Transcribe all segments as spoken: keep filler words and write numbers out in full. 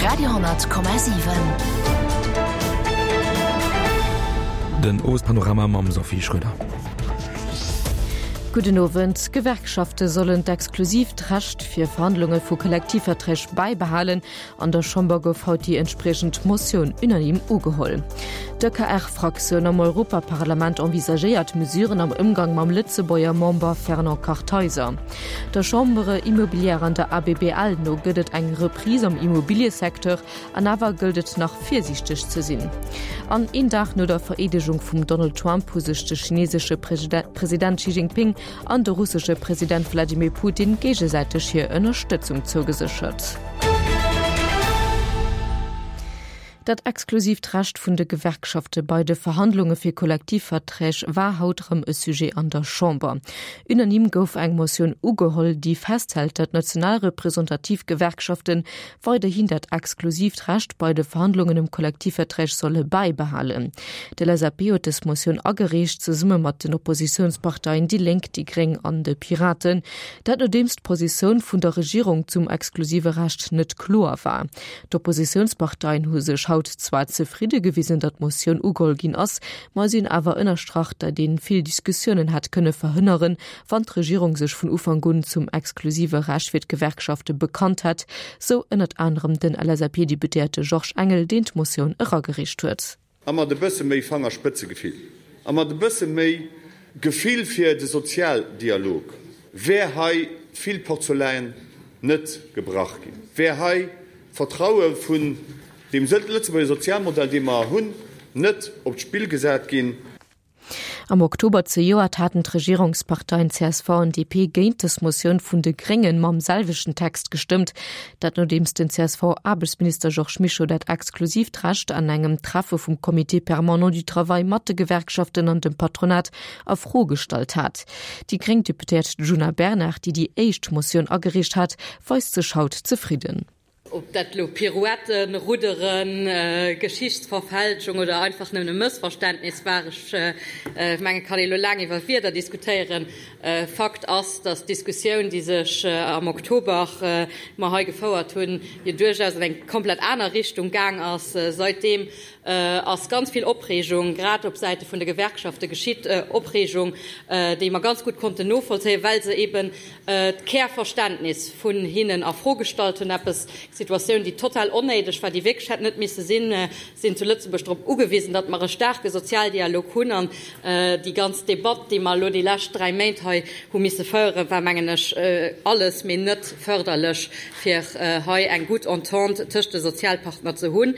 Radio Komma siwen. Den Owespanorama mam Sophie Schröder. Gudden Owend. D'Gewerkschafte sollen d'exklusiivt Recht fir Verhandlunge vu Kollektivverträg bäibehalen. An der Chamber gouf haut déi entspriechend Motioun unanime ugeholl. D'EKR-Fraktioun am Europaparlament envisagéiert Mesuren am Ëmgang mam Lëtzebuerger Member Fernand Kartheiser. Der Chambre Immobilière an der A B B L no gëtt et eng Reprise am Immobiliësecteur, an awer gëllt et nach virsiichteg ze sinn. An een Dag no der Vereedegung vum Donald Trump hu sech de chinesesche President Xi Jinping an de russesche President Wladimir Putin géigesäiteg hir Ënnerstëtzung zougeséchert. Dat exklusiivt Recht vun de Gewerkschafte bei de Verhandlunge fir Kollektivverträg war haut erëm e Sujet an der Chamber. Unanime gouf eng Motioun ugeholl, déi festhält, datt national representativ Gewerkschafte weiderhin dat exklusiivt Recht bei de Verhandlungen ëm Kollektivverträg solle bäibehalen. D'L S A P huet dës Motioun agereecht, zesumme mat den Oppositiounsparteien déi Lénk, déi Gréng an de Piraten. Dat nodeems d'Positioun vun der Regierung zum exklusive Recht net kloer war. D'Oppositiounsparteien hu sech haut zwar zefridde gewisen, datt d'Motioun ugeholl ginn ass, ma si hunn awer ënnerstrach, datt ee vill Diskussiounen hätt kënne verhënneren, wann d'Regierung sech vun Ufank un zum exklusive Recht fir d'Gewerkschafte bekannt hätt, sou ënnert anerem den L S A P-Deputéierte Georges Engel, deen d'Motioun eragereecht huet. A mat e bësse méi Fangerspëtzegefill a mat e bësse méi Gefill fir de Sozialdialog wär hei vill Porzeläin net gebrach ginn, wär hei d'Vertraue vun deem Lëtzebuerger Sozialmodell, dee mer hunn, net op d'Spill gesat ginn. Am Oktober zejoert haten d'Regierungsparteien C S V an D P géint dës Motioun vun de Gréngen mam selwechten Text gestëmmt. Dat nodeems den C S V-Aarbechtsminister Georges Mischo dat exklusiivt Recht an engem Treffe vum Comité permanent du travail mat de Gewerkschaften an dem Patronat a Fro gestallt hat. Déi gréng Deputéiert Djuna Bernard, déi déi éischt Motioun agereecht hat, weist sech haut zefridden. Ob dat elo Pirouetten, Rudderen, Geschichtsverfälschung oder einfach nëmmen e Mëssverständnis war, ech mengen, et kann ee elo laang iwwer Wierder diskutéieren. Fakt ass, datt d'Diskussioun, déi sech am Oktober mer hei gefouert hunn, jo duerchaus an eng komplett aner Richtung gaang ass. Saitdeem ass ganz vill Opreegung, grad op Säite vun de Gewerkschafte geschitt, Opreegung, déi mer ganz gutt konnten novollzéien, well se eben d'Kärverständnis vun hinnen a Fro gestallt hunn, eppes, Situatioun, déi total onnéideg war, déi wierklech hätt net misse sinn. Sinn zu Lëtzebuerg drop ugewisen, datt mer e staarke Sozialdialog hunn, an déi ganz Debatt, déi mer elo déi lescht dräi Méint hei hu misse féieren, war, mengen ech, alles, mee net fërderlech, fir hei eng gutt Entente tëscht de Sozialpartner ze hunn.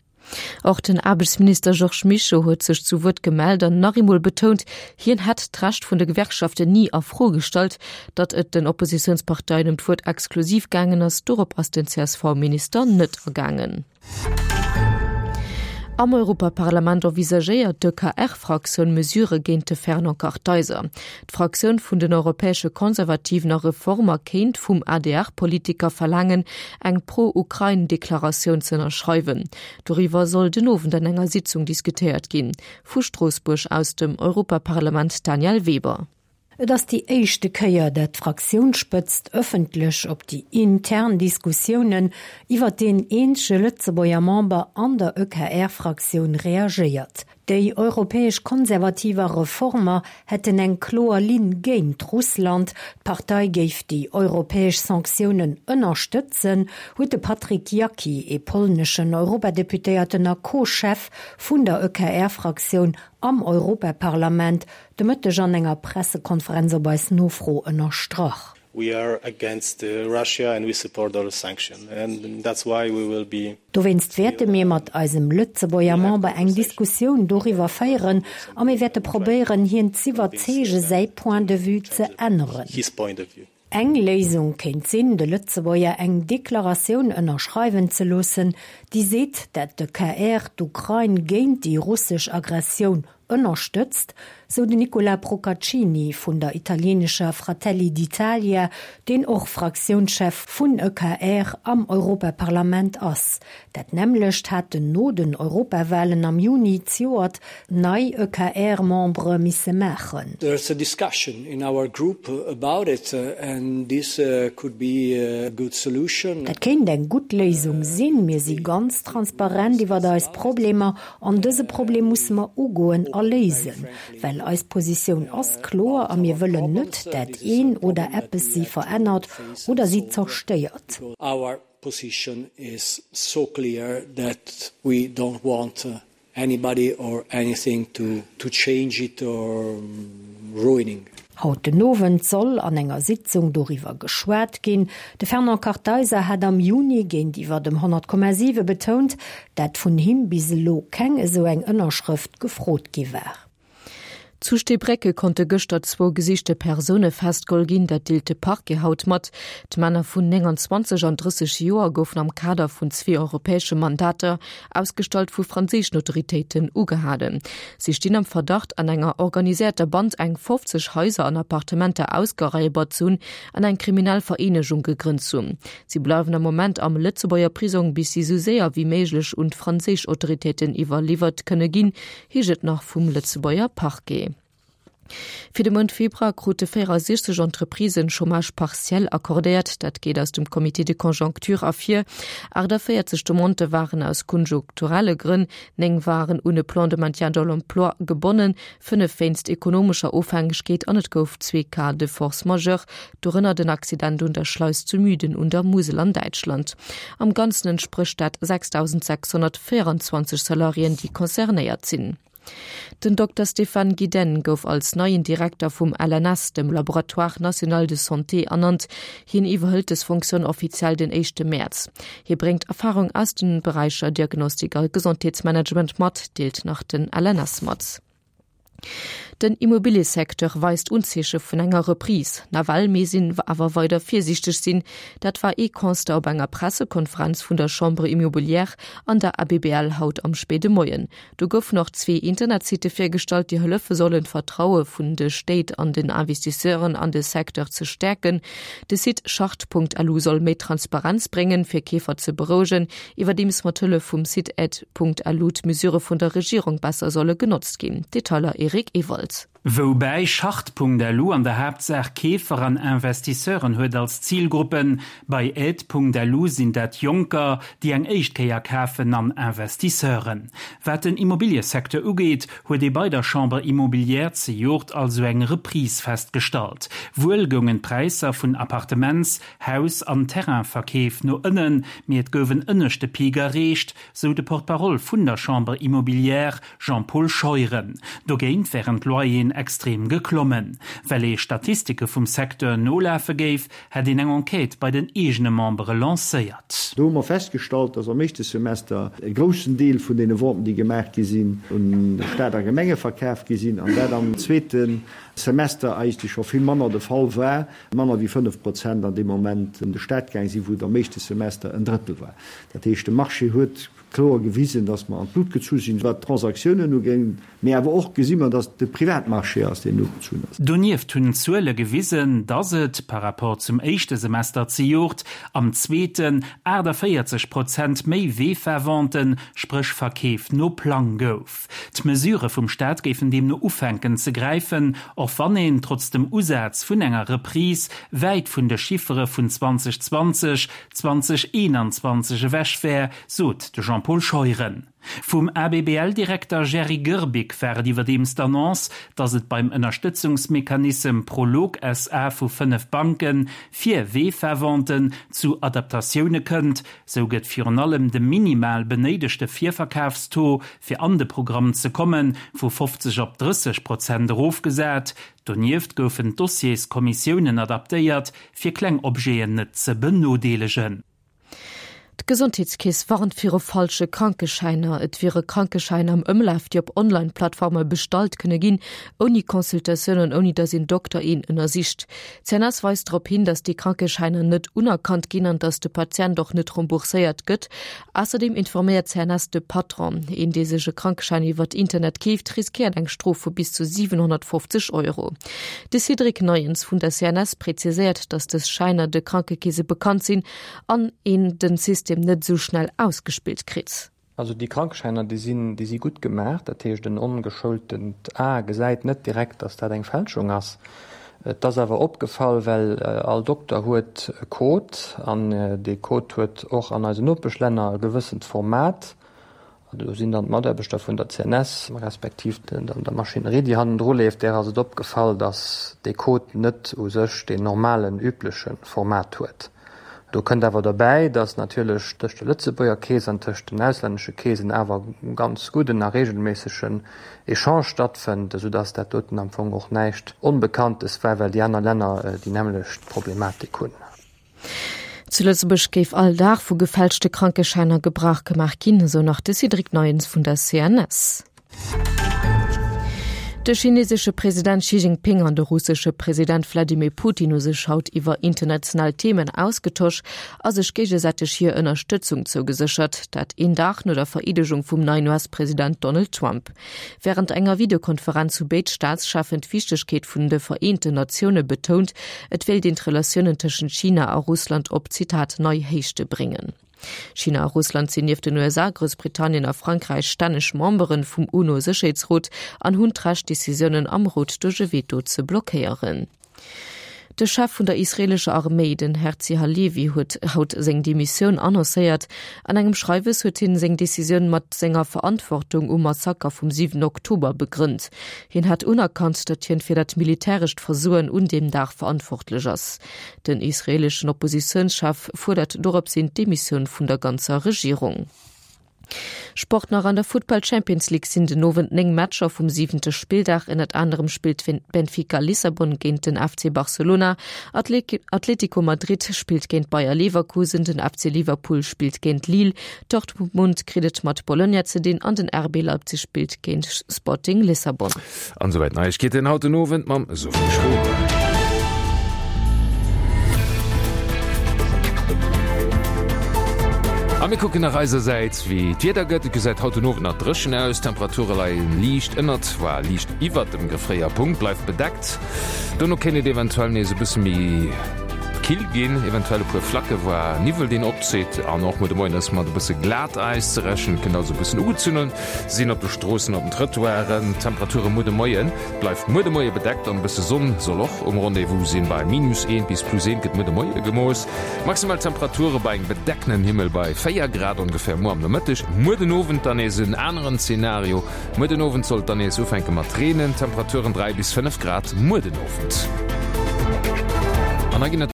Och den Aarbechtsminister Georges Mischo huet sech zu Wuert gemellt an nach eemol betount, hien hätt d'Recht vun de Gewerkschaften ni a Fro gestallt. Datt et den Oppositiounsparteien ëm d'Wuert exklusiv gaangen ass, dorop ass den C S V-Minister net agaangen. Am Europaparlament envisagéiert d'E K R-Fraktioun Mesurë géint de Fernand Kartheiser. D'Fraktioun vun den Europäesche Konservativen a Reformer kéint vum A D R-Politiker verlaangen, eng Pro-Ukrain-Deklaratioun ze ënnerschreiwen. Doriwwer soll den Owend an enger Sitzung diskutéiert ginn. Vu Stroossbuerg aus dem Europaparlament Danièle Weber. Et ass déi éischte Kéier, dat d'Fraktiounsspëtzt ëffentlech op déi intern Diskussiounen iwwer deen eenzege Lëtzebuerger Member an der E K R-Fraktioun reagéiert. Déi europäesch Konservativ a Reformer hätten eng kloer Linn géint Russland, d'Partei géif déi europäesch Sanktiounen ënnerstëtzen, huet de Patryk Jaki, e polneschen Europadeputéierten a Co-Chef vun der E K R-Fraktioun am Europaparlament, de Mëtteg an enger Pressekonferenz op eis Nofro ënnerstrach. We are against Russia and we support all sanctions and that's why we will be Dowéinst wäerte mir mat eisem Lëtzebuerger Member eng Diskussioun doriwwer féieren a mir wäerte probéieren, hien z'iwwerzeege säi Point de vue ze änneren. His point of view. Eng Léisung kéint sinn, de Lëtzebuerger eng Deklaratioun ënnerschreiwen ze loossen, déi seet, dat d'E K R d'Ukrain géint déi russesch Aggressioun ënnerstëtzt. sou den Nicola Procaccini vun der italienescher Fratelli d'Italia, deen och Fraktiounschef vun EKR am Europaparlament ass. Dat nämmlecht haten no den Europawalen am Juni zejoert nei EKR-Membere misse maachen. There's a discussion in our group about it and this could be a good solution. Dat kéint eng gutt Léisung sinn. Mir si ganz transparent iwwer eis Problemer an dëse Problem musse mer ugoen a léisen, well eis Positioun ass kloer a mir wëllen net, dat een oder eppes si verännert oder si zerstéiert. Our position is so clear that we don't want anybody or anything to to change it or ruining. Haut den Owend soll an enger Sitzung doriwwer geschwat ginn. De Fernand Kartheiser hat am Juni géintiwwer dem honnert Komma siwe betount, dat vun him bis elo keng esou eng Ënnerschrëft gefrot gi war. Zu Steebrécke konnte gëschter zwou gesichte Persoune festgeholl ginn, dat deelt de Parquet haut mat. D'Männer vun neunundzwanzeg an drësseg Joer goufen am Kader vun zwee europäesche Mandater, ausgestallt vu franséischen Autoritéiten, ugehalen. Si stinn am Verdacht, an enger organiséierter Band eng fofzeg Haiser an Appartementer ausgeraibert ze hunn an eng kriminell Vereenegung gegrënnt ze hunn. Si bleiwen am Moment am Lëtzebuerger Prisong, bis si sou séier wéi méiglech un d'franséisch Autoritéiten iwwerliwwert kënne ginn, heescht et nach vum Lëtzebuerger Parquet. Fir de Mount Februar krute véierasiechzeg Entreprisen Chômage partiel accordéiert, dat geet aus dem Comité de conjoncture ervir. Aachtavéierzeg Demandë waren aus konjunkturelle Grënn, néng waren un e Plan de maintien dans l'emploi gebonnen, fënnef wéinst ekonomescher Ofhängegkeet an et gouf zwee Cas de force majeure, dorënner den Accident un der Schleis zu Müden un der Musel an Däitschland. Am Ganzen entsprécht dat sechstausendsechshonnertvéierundzwanzeg Salariéen, déi concernéiert sinn. Den Dokter Stéphane Gidenne gouf als neien Direkter vum L N S, dem Laboratoire national de santé, ernannt. Hien iwwerhëlt dës Funktioun offiziell den éischte Mäerz. Hie bréngt Erfarung aus de Beräicher Diagnostik a Gesondheetsmanagement mat, deelt nach den L N S mat. Den Immobiliësecteur weist Unzeeche vun enger Reprise. Nawell misst een awer weider virsiichteg sinn. Dat war ee Constat op enger Pressekonferenz vun der Chambre Immobilière an der A B B L haut am spéide Moien. Do goufen och zwee Internetsitte virgestallt, déi hëllefe sollen, d'Vertraue vun de Stéit an den Investisseuren an de Secteur ze stäerken. De Site chart Punkt L U soll méi Transparenz bréngen, fir Keefer ze berouegen, iwwerdeems mat Hëllef vum Site aide Punkt L U d'Mesurë vun der Regierung besser solle genotzt ginn. Detailer Eric Ewald. Woubäi Chart Punkt L U an der Haaptsaach Keefer an Investisseuren huet als Zilgruppen, bei Aide Punkt L U sinn dat Jonker, déi eng éischt Kéier kafen an Investisseuren. Wat den Immobiliësecteur ugeet, huet ee bei der Chambre Immobilière zejoert also eng Reprise festgestallt. Wuel goungen d'Präisser vun Appartements-, Haus an Terrainverkeef no ënnen, mee et gouf en ënneschte Peak erreecht, sou de Porte-parole vun der Chambre Immobilière Jean-Paul Scheuren. Dogéint wären d'Loyeren extrem geklommen. Well ee Statistike vum Secteur nolafe géif, hätt een eng Enquête bei den eegene Membere lancéiert. Do hu mer festgestallt, dass am éischte Semester e groussen Deel vun deene Venten, déi gemaach gi sinn, un Staat a Gemenge verkaf gi sinn, an dat am zweete Semester eigentlech scho vill manner de Fall war, manner wéi fënnef Prozent an deem Moment un de Staat gaang sinn, wou et am éischte Semester en Drëttel war. Dat heescht, de Marché huet kloer gewisen, dass mer an d'Lut gezu sinn, wat d'Transaktiounen ugéing, mee awer och gesi mer, dass et de Privatmarché ass, deen ugezunn ass. Donieft hunn d'Zuele gewisen, dass et, par rapport zum éischte Semester zejoert, am zweeten aachtavéierzeg Prozent méi VEFA-Venten, spréch Verkeef no Plang gouf. D'Mesurë vum Staat géifen deemno ufänken ze gräifen, och wann een, trotz dem Usaz vun enger Reprise, wäit vun de Chiffere vun zweitausendzwanzeg, zweitausendeenanzwanzeg ewech wär, sot de Jean-Paul Scheuren. Vum A B B L-Direkter Jerry Goerbig war et iwwerdeems d'Annonce, datt et beim Ënnerstëtzungsmechanissem Prolog S A vu fënnef Banke fir VEFA-Venten zu Adaptatioune kënnt. Sou gëtt virun allem de minimal benéidegte Virverkafstaux, fir an de Programm ze kommen, vu fofzeg op drësseg Prozent erofgesat. Donieft goufen d'Dossierskommissiounen adaptéiert, fir kleng Objeten net ze benodeelegen. D'Gesondheetskeess warnt viru falsche Krankeschäiner. Et wiere Krankeschäiner am Ëmlaf, déi op Online-Plattforme bestallt kënne ginn, ouni Consultatioun an ouni datt een Dokter een ënnersicht. D'CNS weist drop hin, datt déi Krankeschäiner net unerkannt ginn an datt de Patient och net rembourséiert gëtt. Ausserdeem informéiert d'CNS de Patron. Een, dee sech e Krankeschäin iwwert Internet keeft, riskéiert eng Strof vu bis zu siwenhonnertfofzeg Euro. De Cédric Neuens vun der C N S präziséiert, datt dës Schäiner de Krankekeese bekannt sinn an een den System net esou schnell ausgespillt kritt. Also déi Krankeschäiner, déi sinn, déi si gutt gemaach. Dat heescht, en ongeschoultent A gesäit net direkt, datt dat eng Fälschung ass. Et ass awer opgefall, well all Dokter huet e Code an dee Code huet och an eisen Nopeschlänner e gewëssent Format. Do sinn dann d'Mataarbechter vun der C N S, respektiv der Maschinerie, déi hannendru leeft, där ass et opgefall, datt dee Code net u sech deen normalen, übleche Format huet. Do kënnt awer derbäi, datt natierlech tëscht der Lëtzebuerger Keess an tëscht den auslännesche Keesen awer ganz gudden a reegelméissegen Echange stattfënnt, esoudatt dat doten am Fong och näischt Onbekanntes war, well déi aner Länner déi nämmlecht Problematik hunn. Zu Lëtzebuerg géif all Dag vu gefälschte Krankeschäiner Gebrauch gemaach ginn, esou nach de Cédric Neuens vun der C N S. De chinesesche President Xi Jinping an de russesche President Wladimir Putin hu sech haut iwwer international Themen ausgetosch a sech géigesäiteg hir Ënnerstëtzung zougeséchert, dat een Dag no der Vereedegung vum neien U S-President Donald Trump. Wärend enger Videokonferenz hu béid Staatscheffen d'Wichtegkeet vun de Vereenten Natioune betount, et wéilt een d'Relatiounen tëschent China a Russland op, Zitat, nei Héichte bréngen. China a Russland sinn nieft den U S A, Groussbritannien a Frankräich stänneg Membere vum UNO-Sécherheetsrot an hunn d'Recht, Decisiounen am Rot duerch e Veto ze blockéieren. De Chef vun der israeelescher Arméi, den Herzi Halevi, huet haut seng Demissioun annoncéiert. An engem Schreiwes huet hien seng Decisioun mat senger Verantwortung um Massaker vum siwen Oktober begrënnt. Hien hat unerkannt, datt hien fir dat militärescht Versoen un deem Dag verantwortlech ass. Den israeeleschen Oppositiounschef fuerdert doropshin d'Demissioun vun der ganzer Regierung. Sport nach. An der Futtball Champions League sinn den Owend néng Matcher vum siwente Spilldag. Ënnert anerem spillt Benfica Lissabon géint den F C Barcelona. Atletico Madrid spillt géint Bayer Leverkusen, den F C Liverpool spillt géint Lille, Dortmund kritt et mat Bologna ze dinn an den R B Leipzig spillt géint Sporting Lissabon. An esouwäit Neiegkeeten haut den Owend mam Sophie Schroeder. A mir kucken nach eisersäits wéi d'Wieder gëtt. Et gesäit haut den Owend nach dréchen aus, d'Temperature leien liicht ënnert, voire liicht iwwert dem Gefréierpunkt, bleift bedeckt. Dono kéint et eventuell nees e bësse méi kill ginn, eventuell e puer Flacke voire Niwwel deen opzitt an och muer de Moien ass mat e bësse Glatäis ze rechnen. Et kënnt also e bëssen ugezunnen sinn op de Stroossen, op den Trëttoiren. D'Temperature muer de Moien, bleift muer de Moie bedeckt an e bësse Sonn soll och um Rendez-vous sinn. Bei minus eent bis plus eent gëtt muer de Moie gemooss. Maximal Temperature bei engem bedeckenen Himmel bei véier Grad ongeféier muer am Nomëtteg. Muer den Owend dann nees en aneren Zenario. Muer den Owend soll et dann nees ufänke mat reenen, Temperaturen dräi bis fënnef Grad muer den Owend. An da ginn et.